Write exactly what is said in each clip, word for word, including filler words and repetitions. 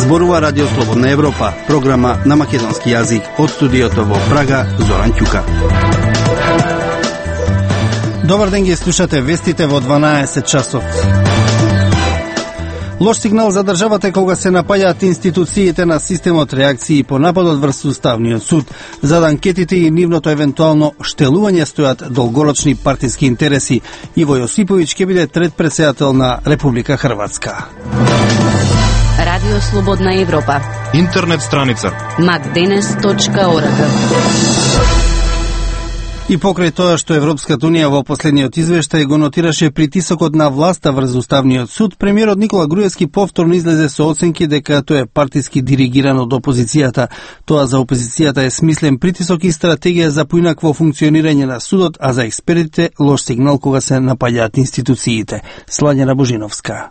Зборува Радио Слободна Европа, програма на македонски јазик од студиото во Прага, Зоран Ќука. Добар ден, ги слушате вестите во дванаесет часот. Лош сигнал за државата кога се напаѓаат институциите на системот реакции по нападот врз Уставниот суд. За анкетите и нивното евентуално штелување стојат долгорочни партиски интереси. Иво Јосиповиќ ќе биде трет претседател на Република Хрватска. Радио Слободна Европа. Интернет страница макденес точка орг. И покрај тоа што Европската унија во последниот извештај го нотираше притисокот на власта врз Уставниот суд, премиерот Никола Груевски повторно излезе со оценки дека тоа е партиски диригирано од опозицијата. Тоа за опозицијата е смислен притисок и стратегија за поинакво функционирање на судот, а за експертите лош сигнал кога се напаѓаат институциите. Слањана Божиновска.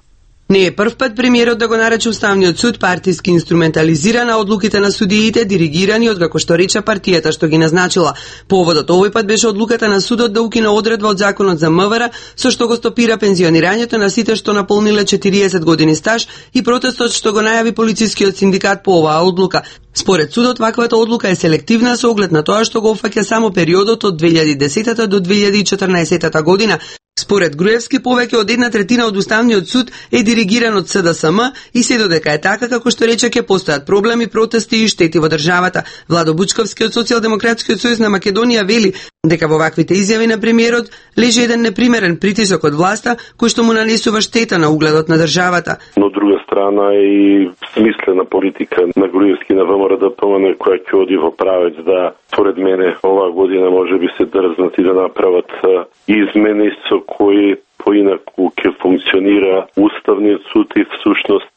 Не е прв пат премиерот да го нарече Уставниот суд партиски инструментализиран, а одлуките на судиите диригирани од како што рече партијата што ги назначила. Поводот овој пат беше одлуката на судот да укине одредба од законот за МВР со што го стопира пензионирањето на сите што наполниле четириесет години стаж и протестот што го најави полицискиот синдикат по оваа одлука. Според судот, ваквата одлука е селективна со оглед на тоа што го опфаќа само периодот од две илјади и десета до две илјади и четрнаесета година. Според Груевски, повеќе од една третина од Уставниот суд е диригиран од С Д С М и се додека е така, како што рече, ќе постојат проблеми, протести и штети во државата. Владо Бучковски од Социјалдемократскиот сојуз на Македонија вели дека во ваквите изјави на премиерот лежи еден непримерен притисок од власта кој што му нанесува штета на угледот на државата. Но од друга страна и смислена политика на Груевски на ВМРО Д П М Н која ќе оди во правец да, според мене, оваа година може би се дрзнат и да направат измени со кои поинаку ќе функционира Уставниот суд и всушност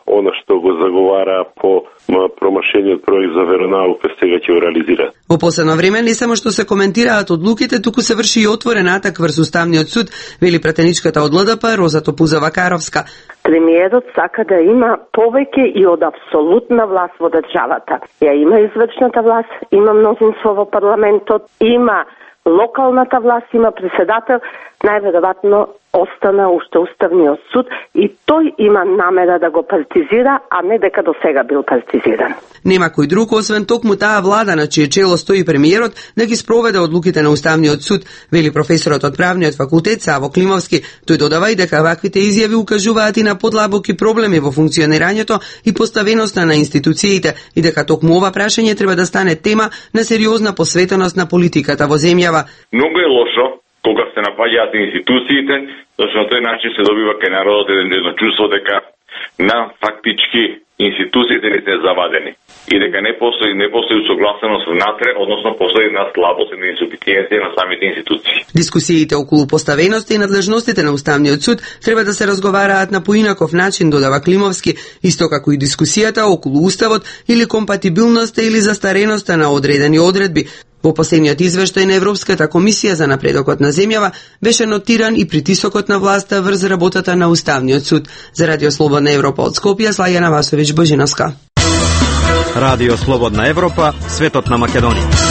она што го заговара по промашениот проект за веронаука сега ќе го реализира. Во последно време не само што се коментираат одлуките, туку се врши и отворен атак врз Уставниот суд, вели пратеничката од Л Д П Роза Топузова-Каровска. Премиерот сака да има повеќе и од апсолутна власт во државата. Ја има извршната власт, има мнозинство во парламентот, има локалната власт, има председател, најверојатно остана уште Уставниот суд и тој има намера да го партизира, а не дека до сега бил партизиран. Нема кој друг, освен токму таа влада на чие чело стои премиерот, да ги спроведе одлуките на Уставниот суд, вели професорот од правниот факултет Саво Климовски. Тој додава и дека ваквите изјави укажуваат и на подлабоки проблеми во функционирањето и поставеноста на институциите и дека токму ова прашање треба да стане тема на сериозна посветеност на политиката во земјава. Многу е лошо кога се напаѓаат институциите, зашто на тој начин се добива кај народот едно чувство дека на фактички институциите не се завадени и дека не постои не постои согласеност внатре, односно постои една слабост и инсуфициенција на самите институции. Дискусиите околу поставеноста и надлежностите на Уставниот суд треба да се разговараат на поинаков начин, додава Климовски, исто како и дискусијата околу уставот или компатибилноста или застареноста на одредени одредби. Во последниот извештај на Европската комисија за напредокот на земјава беше нотиран и притисокот на власта врз работата на Уставниот суд. За Радио Слободна Европа од Скопје, Слајана Васовиќ Божиновска. Радио Слободна Европа, светот на Македонија.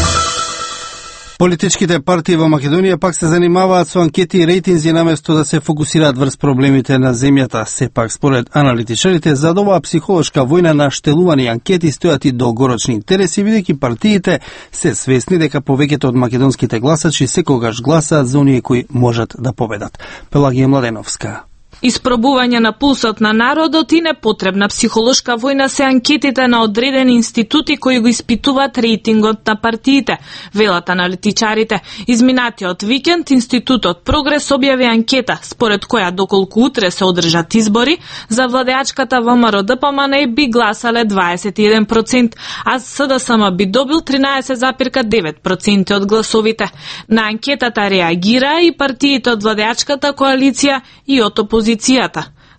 Политичките партии во Македонија пак се занимаваат со анкети и рейтинзи наместо да се фокусираат врз проблемите на земјата. Сепак, според аналитичарите, за оваа психолошка војна на штелувани анкети стојат и долгорочни интереси, бидејќи партиите се свесни дека повеќето од македонските гласачи секогаш гласаат за оние кои можат да победат. Пелагија Младеновска. Испробување на пулсот на народот и непотребна психолошка војна се анкетите на одредени институти кои го испитуваат рейтингот на партиите, велат аналитичарите. Изминатиот викенд Институтот Прогрес објави анкета според која доколку утре се одржат избори, за владеачката ВМРО Д П М Н би гласале дваесет и еден проценти, а С Д С М би добил тринаесет зарез девет проценти од гласовите. На анкетата реагира и партиите од владеачката коалиција и од опозицијата.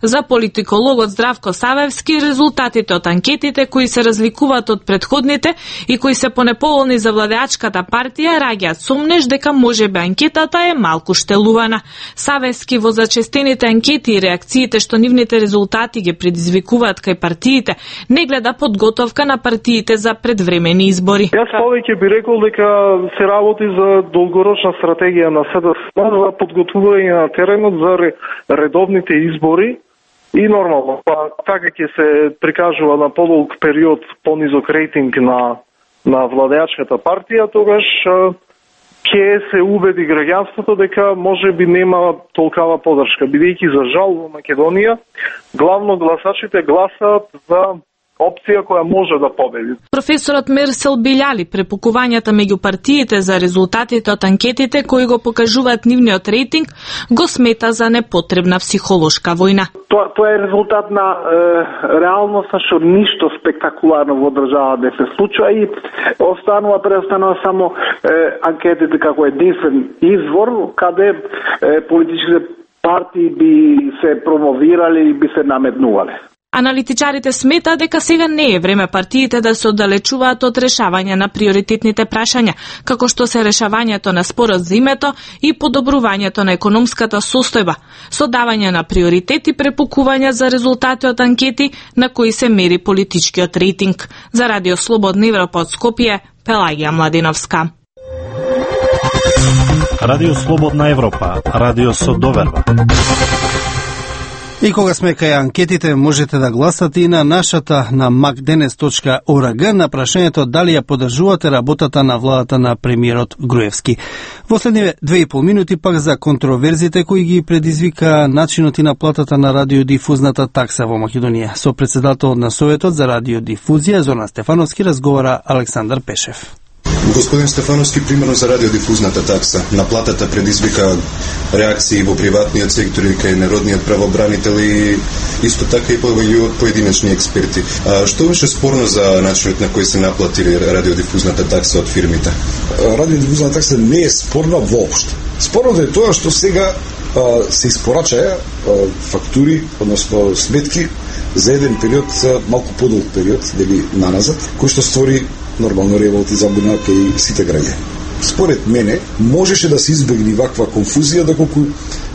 За политикологот Здравко Савевски, резултатите од анкетите кои се разликуваат од претходните и кои се понеповолни за владеачката партија раѓаат сомнеж дека можеби анкетата е малку штелувана. Савевски во зачестените анкети и реакциите што нивните резултати ги предизвикуваат кај партиите, не гледа подготовка на партиите за предвремени избори. Јас повеќе би рекол дека се работи за долгорочна стратегија на С Д С М за подготвување на теренот за редовните избори И нормално, па така ќе се прикажува на подолг период понизок рейтинг на на владеачката партија, тогаш ќе се убеди граѓанството дека може би нема толкава подршка, бидејќи за жал во Македонија главно гласачите гласаат за опција која може да победи. Професорот Мерсел Билјали препукувањата меѓу партиите за резултатите од анкетите кои го покажуваат нивниот рейтинг го смета за непотребна психолошка војна. Тоа, тоа е резултат на е, реалноста што ништо спектакуларно во држава не се случува и останува преостанува само е, анкетите како единствен извор каде е, политичките партии би се промовирали и би се наметнувале. Аналитичарите сметаат дека сега не е време партиите да се оддалечуваат од решавање на приоритетните прашања, како што се решавањето на спорот за името и подобрувањето на економската состојба, со давање на приоритет и препукување за резултати од анкети на кои се мери политичкиот рейтинг. За Радио Слободна Европа од Скопје, Пелагија Младиновска. Радио Слободна Европа, радио со доверба. И кога сме кај анкетите, можете да гласате и на нашата на мак денес точка орг на прашањето дали ја поддржувате работата на владата на премиерот Груевски. Во следниве две и пол минути пак за контроверзите кои ги предизвика начинот и наплатата на радиодифузната такса во Македонија. Со председателот на Советот за радиодифузија Зоран Стефановски разговара Александар Пешев. Господин Стефановски, примерно за радиодифузната такса, наплатата предизвика реакции во приватниот сектор и кај народниот правобранител и исто така и од поединечни експерти. А што беше спорно за начинот на кој се наплатили радиодифузната такса од фирмите? Радиодифузната такса не е спорна воопшто. Спорно е тоа што сега а, се испорачаја фактури, односно сметки за еден период, малку подолг период, дали наназад, кој што створи нормално револт и забуна кај сите граѓани. Според мене, можеше да се избегне ваква конфузија доколку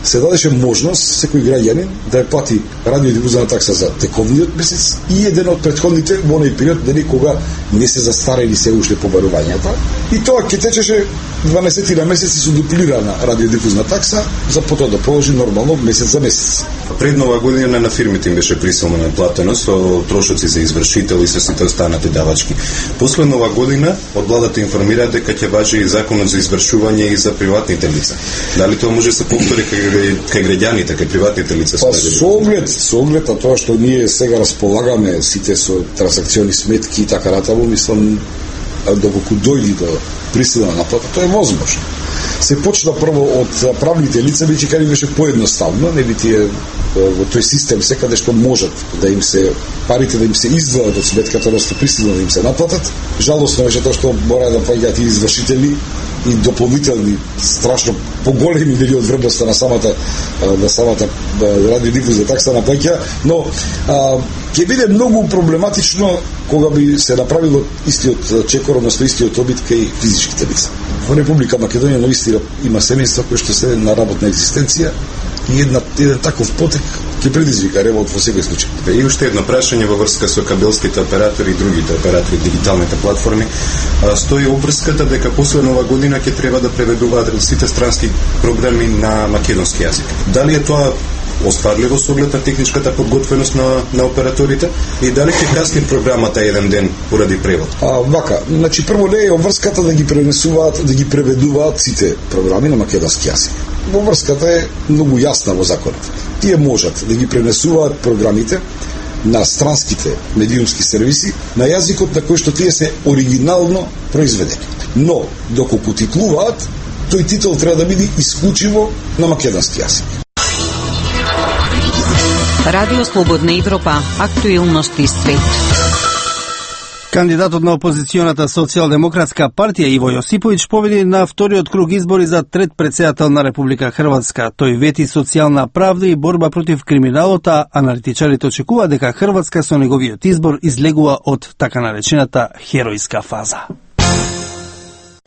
се дадеше можност секој граѓанин да ја плати радиодифузна такса за тековниот месец и еден од претходните во оној период дали кога не се застарели се уште побарувањата. И тоа ќе течеше дванаесет на месеци со дуплирана радиодифузна такса за потоа да положи нормално месец за месец. Пред нова година на фирмите им беше присилно наплатено со трошоци за извршител и со сите останати давачки. После нова година од владата информира дека ќе важи и законот за извршување и за приватните лица. Дали тоа може да се повтори кај, кај граѓаните, кај приватните лица? Па со оглед, со оглед на тоа што ние сега располагаме сите со трансакциони сметки и така натаму, мислам доколку дојди до присилна наплата, тоа е возможно. Се почна прво од правните лица, бидејќи кај беше поедноставно, нели тие во тој систем секаде што можат да им се парите да им се издвојат од сметката, односно присилно да им се наплатат. Жалосно беше тоа што мора да паѓаат и извршители и дополнителни страшно поголеми дели од вредноста на самата на самата радиодифузна такса на плаќа, но а, ќе биде многу проблематично кога би се направило истиот чекор, односно истиот обид кај физичките лица. Во Република Македонија навистина има семејства кои што се на работна екзистенција и една, еден таков потек ќе предизвика револт во секој случај. И уште едно прашање во врска со кабелските оператори и другите оператори, дигиталните платформи. Стои обврската дека после нова година ќе треба да преведуваат сите странски програми на македонски јазик. Дали е тоа остварливо со оглед на техничката подготвеност на, на операторите и дали ќе касни програмата еден ден поради превод? А, вака, значи прво не е обврската да ги пренесуваат, да ги преведуваат сите програми на македонски јазик. Обврската е многу јасна во законот. Тие можат да ги пренесуваат програмите на странските медиумски сервиси на јазикот на кој што тие се оригинално произведени. Но, доколку титлуваат, тој титул треба да биде исклучиво на македонски јазик. Радио Слободна Европа, актуелности свет. Кандидатот на опозиционата социјалдемократска партија Иво Јосиповиќ победи на вториот круг избори за трет претседател на Република Хрватска. Тој вети социјална правда и борба против криминалот, а аналитичарите очекува дека Хрватска со неговиот избор излегува од така наречената херојска фаза.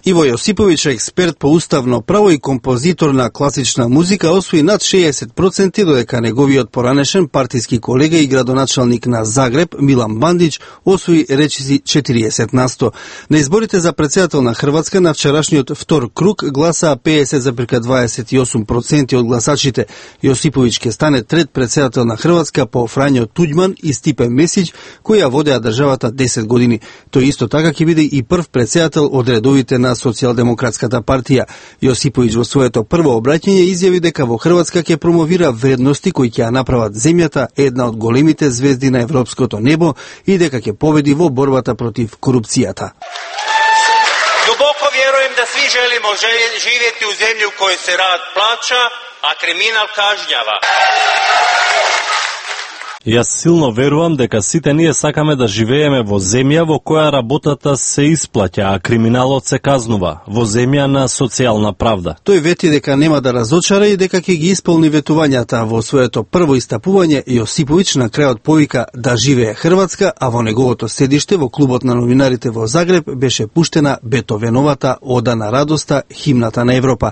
Иво Јосиповиќ, експерт по уставно право и композитор на класична музика, освои над шеесет проценти, додека неговиот поранешен партиски колега и градоначалник на Загреб, Милан Бандич, освои речиси четириесет на сто. На изборите за председател на Хрватска на вчерашниот втор круг гласаа педесет зарез дваесет и осум проценти од гласачите. Јосиповиќ ќе стане трет председател на Хрватска по Фрањо Туѓман и Стипе Месиќ, кои ја водеа државата десет години. Тој исто така ќе биде и прв председател од редовите на Социјалдемократската партија. Јосиповиќ во своето прво обраќање изјави дека во Хрватска ќе промовира вредности кои ќе ја направат земјата една од големите звезди на европското небо и дека ќе победи во борбата против корупцијата. Дубоко веруjem да сви желимо живети у земји у кој се рад плаќа, а криминал кажњава. Јас силно верувам дека сите ние сакаме да живееме во земја во која работата се исплаќа, а криминалот се казнува, во земја на социјална правда. Тој вети дека нема да разочара и дека ќе ги исполни ветувањата. Во своето прво истапување Јосиповиќ на крајот повика да живее Хрватска, а во неговото седиште во клубот на новинарите во Загреб беше пуштена Бетовеновата Ода на радоста, химната на Европа.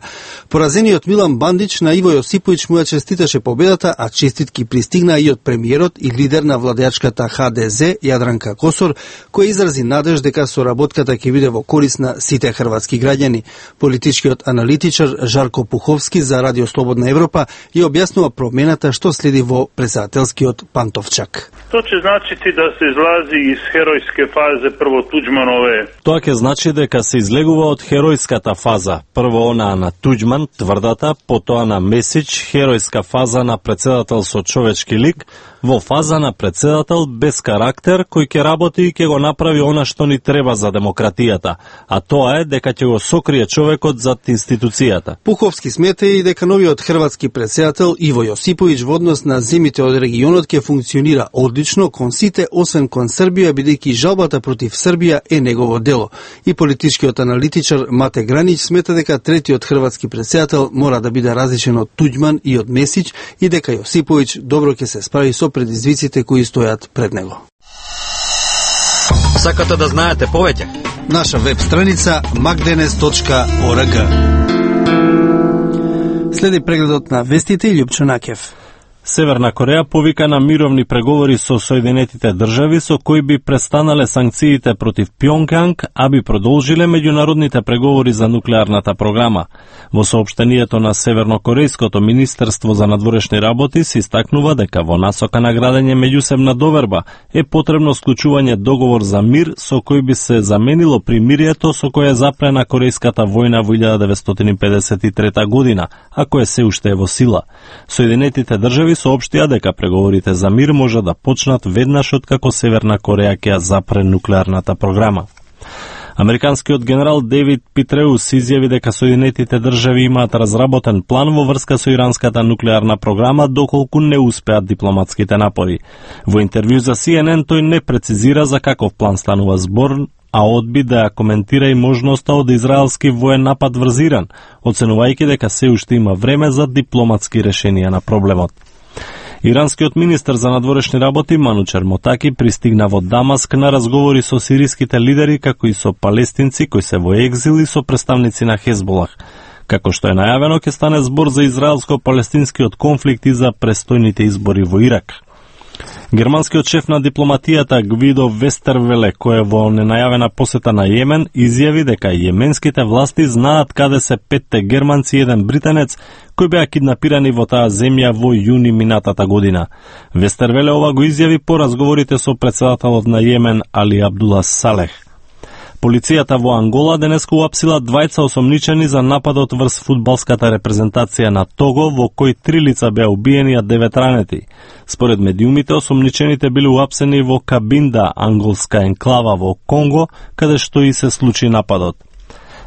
Поразениот Милан Бандич на Иво Јосиповиќ му ја честиташе победата, а честитки пристигнаа и од премиерот и лидер на владеачката Х Д З Јадранка Косор, кој изрази надеж дека соработката ќе биде во корис на сите хрватски граѓани. Политичкиот аналитичар Жарко Пуховски за Радио Слободна Европа ја објаснува промената што следи во председателскиот пантовчак. Тоа ќе значи да се излази из херојске фазе прво Туѓманове. Тоа ќе значи дека се излегува од херојската фаза. Прво она на Туѓман, тврдата, потоа на Месиќ, херојска фаза на председател со човечки лик, во фаза на председател без карактер кој ќе работи и ќе го направи она што ни треба за демократијата, а тоа е дека ќе го сокрие човекот зад институцијата. Пуховски смета и дека новиот хрватски председател Иво Јосиповиќ во однос на земјите од регионот ќе функционира одлично кон сите, освен кон Србија, бидејќи жалбата против Србија е негово дело. И политичкиот аналитичар Мате Гранич смета дека третиот хрватски председател мора да биде различен од Туѓман и од Месиќ и дека Јосиповиќ добро ќе се справи со предизвиците кои стојат пред него. Сакате да знаете повеќе? Наша веб страница макденес точка орг. Следи прегледот на вестите и Љупчо Накев. Северна Кореја повика на мировни преговори со Соединетите држави со кои би престанале санкциите против Пјонгјанг, а би продолжиле меѓународните преговори за нуклеарната програма. Во соопштението на Севернокорејското министерство за надворешни работи се истакнува дека во насока на градење меѓусебна доверба е потребно склучување договор за мир со кој би се заменило примирието со кое е запрена Корејската војна во илјада деветстотини педесет и трета година, а кое се уште е во сила. Соединетите држави соопштија дека преговорите за мир може да почнат веднаш откако Северна Кореја ќе ја запре нуклеарната програма. Американскиот генерал Дейвид Питреус изјави дека Соединетите држави имаат разработен план во врска со иранската нуклеарна програма доколку не успеат дипломатските напори. Во интервју за Си Ен Ен тој не прецизира за каков план станува збор, а одби да ја коментира и можноста од израелски воен напад врз Иран, оценувајќи дека се уште има време за дипломатски решенија на проблемот. Иранскиот министер за надворешни работи Манучер Мотаки пристигна во Дамаск на разговори со сириските лидери, како и со палестинци кои се во екзил и со представници на Хезболах. Како што е најавено, ќе стане збор за израелско-палестинскиот конфликт и за престојните избори во Ирак. Германскиот шеф на дипломатијата Гвидо Вестервеле, кој е во ненајавена посета на Јемен, изјави дека јеменските власти знаат каде се петте германци и еден британец кои беа киднапирани во таа земја во јуни минатата година. Вестервеле ова го изјави по разговорите со председателот на Јемен Али Абдула Салех. Полицијата во Ангола денеска уапсила двајца осомничени за нападот врз фудбалската репрезентација на Того, во кој три лица беа убиени, а девет ранети. Според медиумите, осомничените били уапсени во Кабинда, анголска енклава во Конго, каде што и се случи нападот.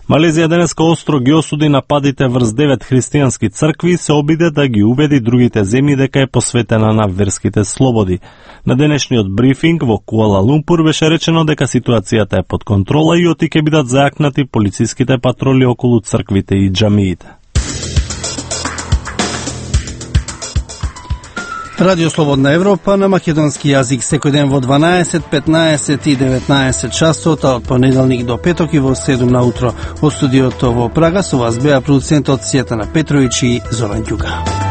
Малезија денеска остро ги осуди нападите врз девет христијански цркви и се обиде да ги убеди другите земји дека е посветена на верските слободи. На денешниот брифинг во Куала Лумпур беше речено дека ситуацијата е под контрола и оти ќе бидат зајакнати полициските патроли околу црквите и џамиите. Радио Слободна Европа на македонски јазик секој ден во дванаесет, петнаесет и деветнаесет часот, а од понеделник до петок и во седум на утро. Од студиото во Прага со вас беа продуцентот Сјетана Петровиќ и Зоран Ѓука.